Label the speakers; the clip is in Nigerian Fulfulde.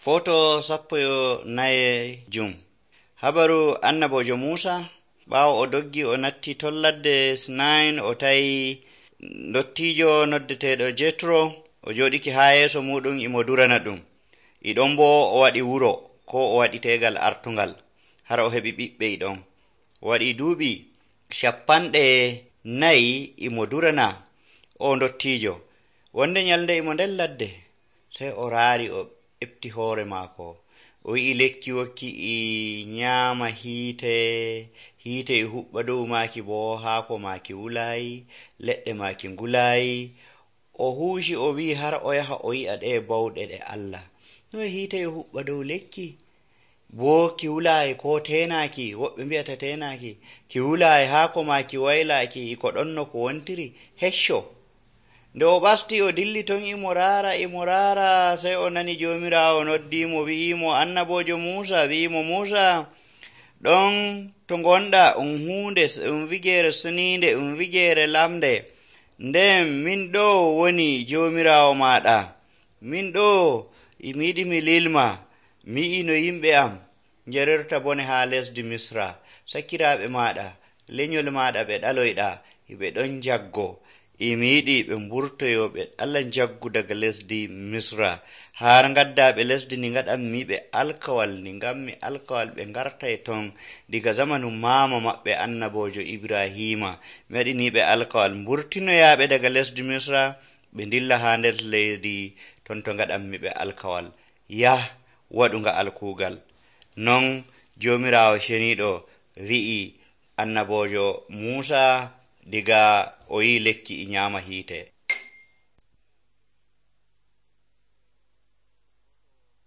Speaker 1: Foto 14 habaru annabojo Musa ɓaawo o doggi o natti ton ladde Sinain o tawi dottijo noddeteɗo Jetro o joɗiki haa yeeso muɗum imo durana ɗum. Iɗon bo o waɗi wuro ko o waɗi tegal artungal har o heɓi ɓiɓɓe iɗon. O waɗi duuɓi 40 imo durana o dottijo. Wonde nyalde imo nder ladde sai o raari o ɓefti hoore maako. O yi'i lekki wokki i nyaama hiite e huɓɓa dow maaki bo haako maaki wulayi, leɗɗe maaki ngulayi. O huuci o wi'i har o yaha o yi'a ɗe bawɗe ɗe Allah. No hiite e huɓɓa dow lekki bo ki wulayi ko tenaki, woɓɓe mbi'ata tenaki, ki wulayi haako maaki waylaki ko ɗon no ko wontiri hecco. Nde o ɓasti o dilli ton imo raara sai o nani Jomirawo noddimo wi'imo annabojo Musa wi'imo Musa ɗon to gonɗa hunde wigere sninde wigere lamde nden min ɗo woni Jomirawo maɗa, min ɗo mi yiɗi mi lilma, mi yi'i no yimɓe am njarerta bone ha lesdi Misra, sakiraɓe maɗa lenyol maɗa ɓe ɗaloyɗa ɓe ɗon jaggo, mi yiɗi ɓe mburtoyo ɓe Allah jaggu daga lesdi Misra har gaddaɓe lesdi ndi gaɗanmi ɓe alkawal, ndi gammi alkawal ɓe gartay ton diga zamanu mama maɓɓe annabojo Ibrahima. Mi waɗiniɓe alkawal mburtinoyaɓe daga lesdi Misra ɓe dilla ha nder leydi ton to gaɗanmi ɓe alkawal. Yah waɗunga alkugal. Non Jomirawo ceniɗo wi'i annabojo Musa diga o yi lekki i nyama hiite.